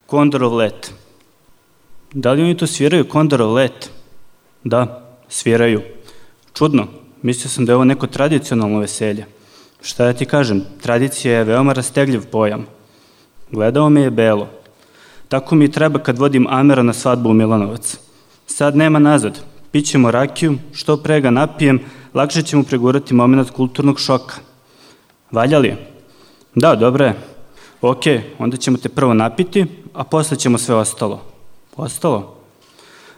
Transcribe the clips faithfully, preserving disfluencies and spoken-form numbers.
Kondorov let. Da li oni to sviraju Kondorov let? Da, sviraju. Čudno, mislio sam da je ovo neko tradicionalno veselje. Šta da ti kažem, tradicija je veoma rastegljiv pojam. Gledao me je Belo. Tako mi treba kad vodim Amera na svadbu u Milanovac. Sad nema nazad, pićemo rakiju, što pre ga napijem, lakše ćemo pregurati moment kulturnog šoka. Valja li? Da, dobro je. Ok, onda ćemo te prvo napiti, a posle ćemo sve ostalo. Ostalo?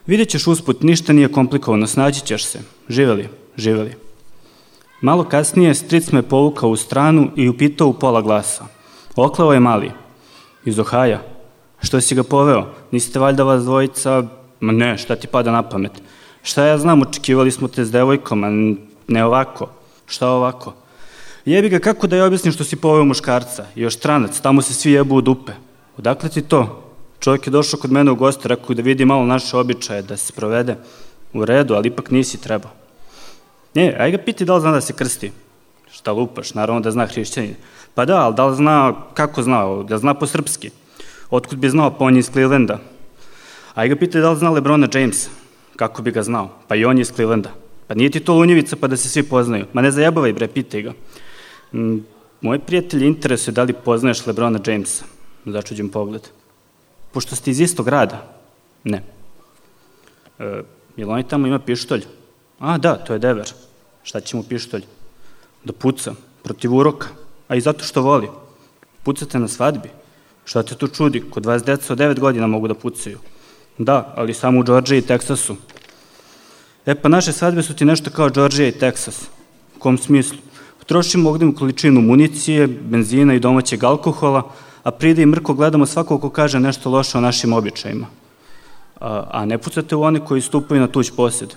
Vidjet ćeš usput, ništa nije komplikovano, snađi ćeš se. Živeli, živeli. Malo kasnije stric me povukao u stranu i upitao u pola glasa. Oklao je mali. Iz Ohaja. Što si ga poveo? Niste valjda vas dvojica... Ma ne, šta ti pada na pamet? Šta ja znam, očekivali smo te s devojkom, a ne ovako. Šta ovako? Jebi ga, kako da je objasnim što si poveo muškarca? I još stranac, tamo se svi jebu u dupe. Odakle ti to? Čovjek je došao kod mene u goste, rekao da vidi malo naše običaje, da se provede. U redu, ali ipak nisi trebao. Ne, aj ga piti da li zna da se krsti. Šta lupaš, naravno da zna hrišćanin. Pa da, ali da li zna, kako zna, da zna po srpski. Otkud bi znao, pa on je iz Clevelanda. Aj ga piti da li zna Lebrona Jamesa. Kako bi ga znao, pa i on je iz Clevelanda. Pa nije ti to lunjevica pa da se svi poznaju. Ma ne zajebavaj bre, pitaj ga. Mm, moj prijatelj interesuje da li poznaješ Lebrona Jamesa. Začuđen pogled. Pošto ste iz istog grada? Ne. E, jel oni tamo ima pištolj? A, da, to je Dever. Šta će mu pištolj? Da puca, protiv uroka, a i zato što voli. Pucate na svadbi? Šta te tu čudi? Kod vas deca od devet godina mogu da pucaju. Da, ali samo u Džordžiji i Teksasu. E pa naše svadbe su ti nešto kao Džordžija i Teksas. U kom smislu? Trošimo oglednu količinu municije, benzina i domaćeg alkohola, a pride i mrko gledamo svakog ko kaže nešto loše o našim običajima. A, a ne pucate u one koji stupaju na tuđ posjed.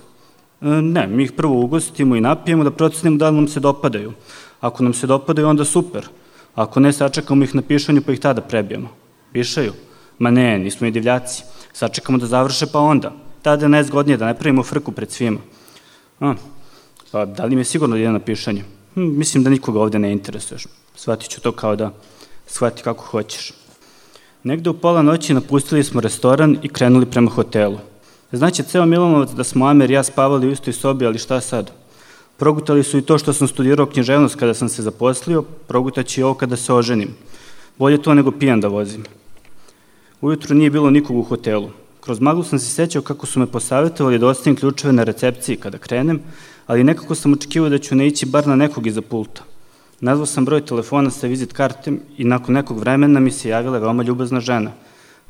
E, ne, mi ih prvo ugostimo i napijemo da procenimo da li nam se dopadaju. Ako nam se dopadaju, onda super. Ako ne, sačekamo ih na pišanju pa ih tada prebijemo. Pišaju? Ma ne, nismo i divljaci. Sačekamo da završe pa onda. Tada je najzgodnije da ne pravimo frku pred svima. A, pa da li mi je sigurno da ide na pišanje? Hm, mislim da nikoga ovde ne interesuješ. Shvatit ću to kao da shvati kako hoćeš. Negde u pola noći napustili smo restoran i krenuli prema hotelu. Znači, ceo Milanovac da smo Amer i ja spavali u istoj sobi, ali šta sad? Progutali su i to što sam studirao književnost kada sam se zaposlio, progutaći i ovo kada se oženim. Bolje to nego pijan da vozim. Ujutru nije bilo nikog u hotelu. Kroz maglu sam se sećao kako su me posavetovali da ostavim ključeve na recepciji kada krenem, ali nekako sam očekivao da ću naići bar na nekog iza pulta. Nazvao sam broj telefona sa vizit kartem i nakon nekog vremena mi se javila veoma ljubazna žena.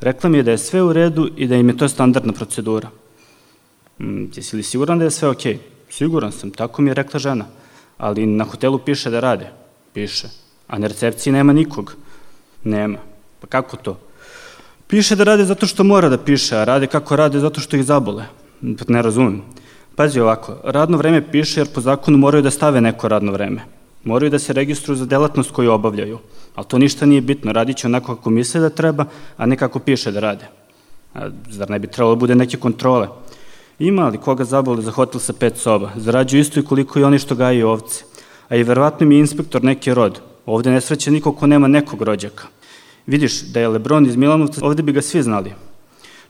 Rekla mi je da je sve u redu i da im je to standardna procedura. Mm, jesi li siguran da je sve okej? Siguran sam, tako mi je rekla žena. Ali na hotelu piše da rade. Piše. A na recepciji nema nikog. Nema. Pa kako to? Piše da rade zato što mora da piše, a rade kako rade zato što ih zabole. Pa ne razumem. Pazi ovako, radno vreme piše jer po zakonu moraju da stave neko radno vreme. Moraju da se registruju za delatnost koju obavljaju. Ali to ništa nije bitno, radit će onako kako misle da treba, a ne kako piše da rade. A zar ne bi trebalo da bude neke kontrole? Ima li koga zabole za hotel sa pet soba? Zarađuju isto i koliko i oni što gajaju ovce. A i verovatno mi je inspektor neki rod. Ovde ne sreće niko ko nema nekog rođaka. Vidiš, da je Lebron iz Milanovca, ovde bi ga svi znali.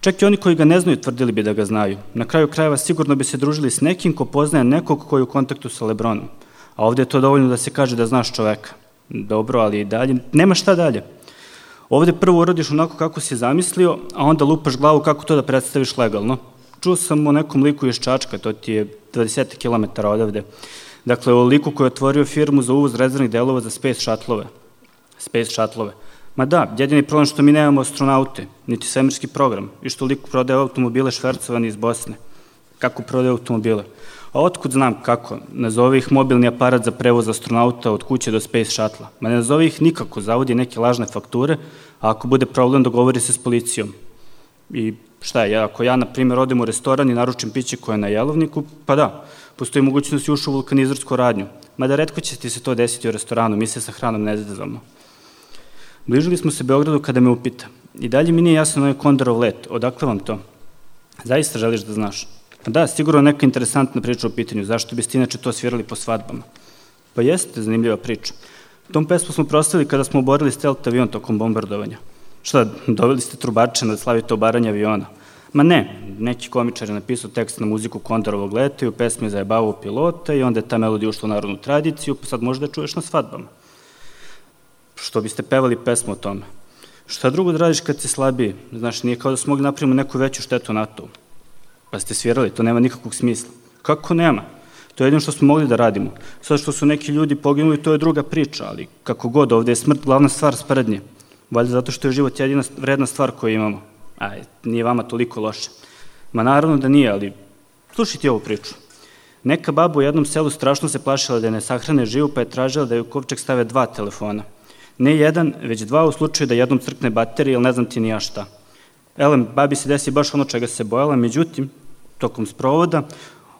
Čak i oni koji ga ne znaju tvrdili bi da ga znaju. Na kraju krajeva sigurno bi se družili s nekim ko poznaje nekog koji je u kontaktu sa Lebronom. A ovde je to dovoljno da se kaže da znaš čoveka. Dobro, ali i dalje, nema šta dalje. Ovde prvo uradiš onako kako si zamislio, a onda lupaš glavu kako to da predstaviš legalno. Čuo sam o nekom liku iz Čačka, to ti je dvadeset kilometara odavde. Dakle, o liku koji je otvorio firmu za uvoz rezervnih delova za Space Shuttle-ove. Space Shuttle-ove. Ma da, jedini problem što mi nemamo astronaute, niti svemirski program, i što lik prodaje automobile švercovani iz Bosne. Kako prodaje automobile? A otkud znam kako? Nazove ih mobilni aparat za prevoz astronauta od kuće do Space Shuttle-a. Ma ne nazove ih nikako, zavodi neke lažne fakture, a ako bude problem dogovori se s policijom. I šta je, ako ja, na primjer, odem u restoran i naručim piće koje je na jelovniku, pa da, postoji mogućnost i ušu u vulkanizarsku radnju. Mada retko će ti se to desiti u restoranu, mi se sa hranom ne zezamo. Bližili smo se Beogradu kada me upita. I dalje mi nije jasno ovaj Kondorov let. Odakle vam to? Zaista želiš da znaš? Da, sigurno neka interesantna priča u pitanju. Zašto biste inače to svirali po svadbama? Pa jeste zanimljiva priča. Tom pesmu smo proslavili kada smo oborili stealth avion tokom bombardovanja. Šta, doveli ste trubače da slavite obaranje aviona? Ma ne, neki komičar je napisao tekst na muziku Kondorovog leta i u pesmi zajebavao pilota i onda je ta melodija ušla u narodnu tradiciju, pa sad možda je čuješ na svadbama. Što biste pevali pesmu o tome? Šta drugo da radiš kad si slabiji? Znaš, nije kao da smo mogli napravimo neku veću štetu NATO-u. Pa ste svirali, to nema nikakvog smisla. Kako nema? To je jedino što smo mogli da radimo. Sad što su neki ljudi poginuli, to je druga priča, ali kako god, ovde je smrt glavna stvar sprednje. Valjda zato što je život jedina vredna stvar koju imamo. Aj, nije vama toliko loše. Ma naravno da nije, ali slušaj ti ovu priču. Neka baba u jednom selu strašno se plašila da je ne sahrane živu, pa je tražila da je u kovčeg stave dva telefona. Ne jedan, već dva u slučaju da jednom crkne baterija ili ne znam ti ni ja šta. Elem, babi se desi baš ono čega se bojala, međutim, tokom sprovoda,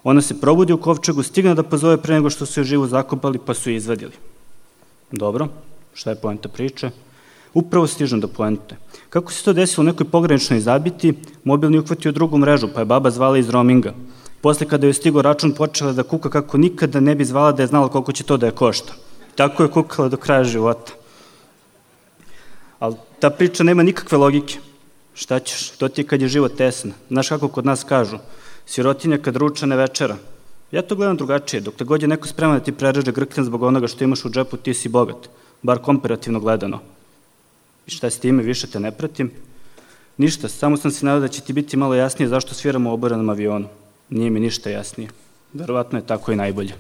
ona se probudi u kovčegu, stigne da pozove pre nego što su je živu zakopali, pa su je izvadili. Dobro, šta je poenta priče? Upravo stižem do poente. Kako se to desilo u nekoj pograničnoj zabiti, mobilni uhvatio drugu mrežu, pa je baba zvala iz roaminga. Posle kada je stigo račun, počela da kuka kako nikada ne bi zvala da je znala koliko će to da je košta. Tako je kukala do kraja života. Ali ta priča nema nikakve logike. Šta ćeš? To ti je kad je život tesan. Znaš kako kod nas kažu? Sirotinja kad ruča ne večera. Ja to gledam drugačije. Dok te god je neko spreman da ti prereže grkljan zbog onoga što imaš u džepu, ti si bogat. Bar komparativno gledano. I šta s time, više te ne pratim? Ništa, samo sam se nadao da će ti biti malo jasnije zašto sviramo u oborenom avionu. Nije mi ništa jasnije. Verovatno je tako i najbolje.